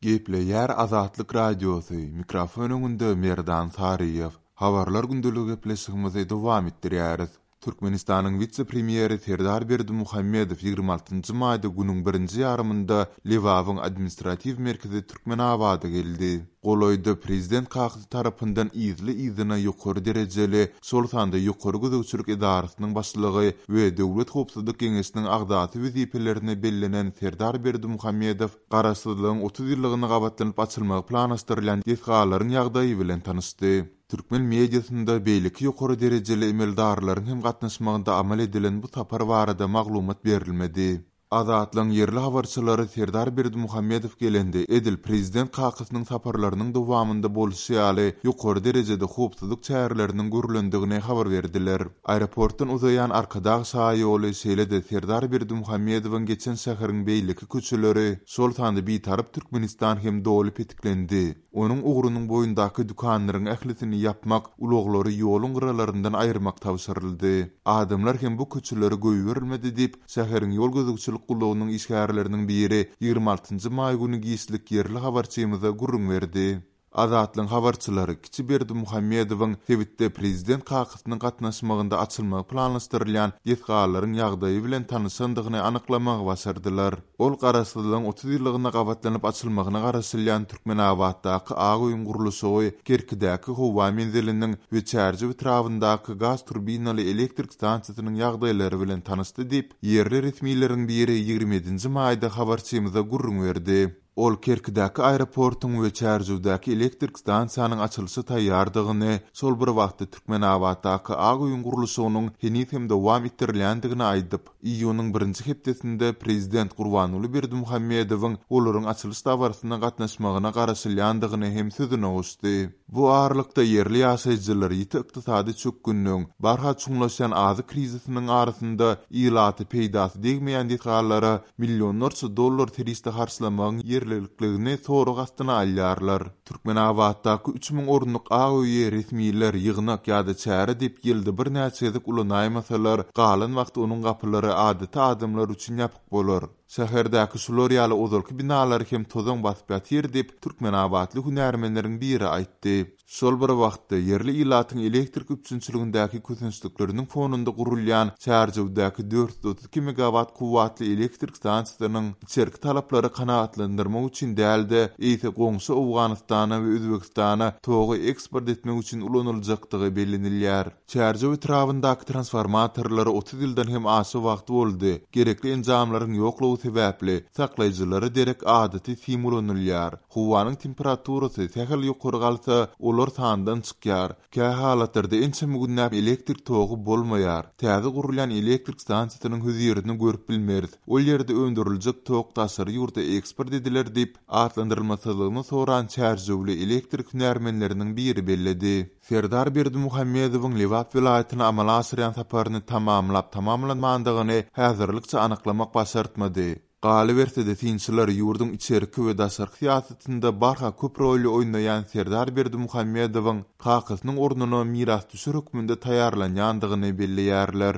Gepleýär Azatlyk Radiosy, mikrofon öňünde Merdan Saryýew. Habarlar gündeligi gepleşigimizi dowam etdirýäris. Türkmenistanyň wise-premýeri Serdar Berdimuhamedow 26 maýda günüň birinji ýarymynda Lebabyň administratiw merkezi Türkmenabada geldi. Golaýda prezident kakasy tarapyndan yzly-yzyna ýokary derejeli, şol sanda Ýokary gözegçilik edarasynyň başlygy we Döwlet howpsuzlyk geňeşiniň agzasy wezipelerine bellenen Serdar Berdimuhamedow Garaşsyzlygyň 30 ýyllygyna gabatlanyp açylmagy planlaşdyrylýan desgalaryň ýagdaýy bilen tanyşdy. Türkmen mediasynda beýleki ýokary derejeli emeldarlaryň hem gatnaşmagynda amal edilen bu sapar barada maglumat berilmedi. Azatlygyň ýerli habarçylary Serdar Berdimuhamedow gelende, edil prezident kakasynyň saparlarynyň dowamynda bolşy ýaly, ýokary derejede howpsuzlyk çäreleriniň görlendigini habar berdiler. Aeroportdan uzaýan Arkadag şaýoly, şeýle-de Serdar Berdimuhamedowyň geçen şäheriň beýleki köçeleri, şol sanda Bitarap Türkmenistan hem doly petiklendi. Onuň ugrunyň boýundaky dükanlaryň ählisini ýapmak, ulaglary ýoluň gyralaryndan aýyrmak tabşyryldy. Adamlar hem bu köçelere goýberilmedi diýip, şäheriň ýol gözegçilik gullugynyň işgärleriniň biri 26 maý güni giçlik ýerli habarçymyza gürrüň berdi. Azatlygyň habarçylary kiçi Berdimuhamedowyň sebitde prezident kakasynyň gatnaşmagynda açylmagy planlaşdyrylýan desgalaryň ýagdaýy bilen tanyşandygyny anyklamagy başardylar. Ol Garaşsyzlygyň 30 ýyllygyna gabatlanyp açylmagyna garaşylýan Türkmenabatdaky Ak öýüň gurluşygy, Kerkidäki howa menziliniň we Çärjew etrabyndaky gaz turbinaly elektrik stansiýasynyň ýagdaýlary bilen tanyşdy diýip, ýerli resmileriň biri 27-nji maýda habarçymyza gürrüň berdi. Ol Kerkidäki aeroportuň we Çärjewdäki elektrik stansiýanyň açylyşa taýýardygyny, şol bir wagtda Türkmenabatdaky Ak öýüň gurluşygynyň heniz hem dowam etdirilýändigini aýdyp, Iýunyň birinji hepdesinde prezident Gurbanguly Berdimuhamedowyň olaryň açylyş dabarasyna gatnaşmagyna garaşylýandygyny hem sözüne goşdy. Bu aralykda, ýerli ýaşaýjylar ýiti ykdysady çökgünligiň, barha çuňlaşýan azyk krizisiniň arasynda ilata peýdasy degmeýän desgalara millionlarça dollar serişde harçlamagyň ýerlilikligini sorag astyna alýarlar. Türkmenabatdaky 3000 orunlyk Ak öýi resmiler ýygnak ýa-da çäre diýip ýylda birnäçe gezek ulanaýmasalar, galan wagty onuň gapylary adaty adamlar üçin ýapyk bolar. Şäherdäki şular ýaly ozalky binalary hem tozan basyp ýatyr diýip, türkmenabatly hünärmenleriň biri aýtdy. Şol bir wagtda, ýerli ilatyň elektrik üpjünçiligindäki kösençlikleriniň fonunda gurulýan Çärjewdäki 432 megawat kuwwatly elektrik stansiýasynyň içerki talaplary kanagatlandyrmak üçin däl-de, eýse goňşy Owganystana we Özbegistana togy eksport etmek üçin ulanyljakdygy bellenilýär. Çärjew etrabyndaky transformatorlara 30 ýyldan hem aşa wagt boldy. Gerekli enjamlaryň ýoklugy sebäpli, saklaýjylara derek adaty sim ulanylýar. Howanyň temperaturasy sähel ýokary galsa, olar sandan çykýar. Kähalatlarda ençeme günläp elektrik togy bolmaýar. Täze gurulýan elektrik stansiýasynyň hözirini görüp bilmeris. Ol ýerde öndüriljek tok daşary ýurda eksport ediler diýip, atlandyrylmasyzlygyny soran çärjewli elektrik hünärmenleriniň biri belledi. Serdar Berdimuhamedowyň Lebap welaýatyna amala aşyrýan saparyny tamamlap-tamamlanmandygyny häzirlikçe anyklamak başartmady. Galyberse-de, synçylar ýurduň içerki we daşarky syýasatynda barha köp roly oýnaýan Serdar Berdimuhamedowyň kakasynyň ornuna mirasdüşer hökmünde taýýarlanýandygyny belleýärler.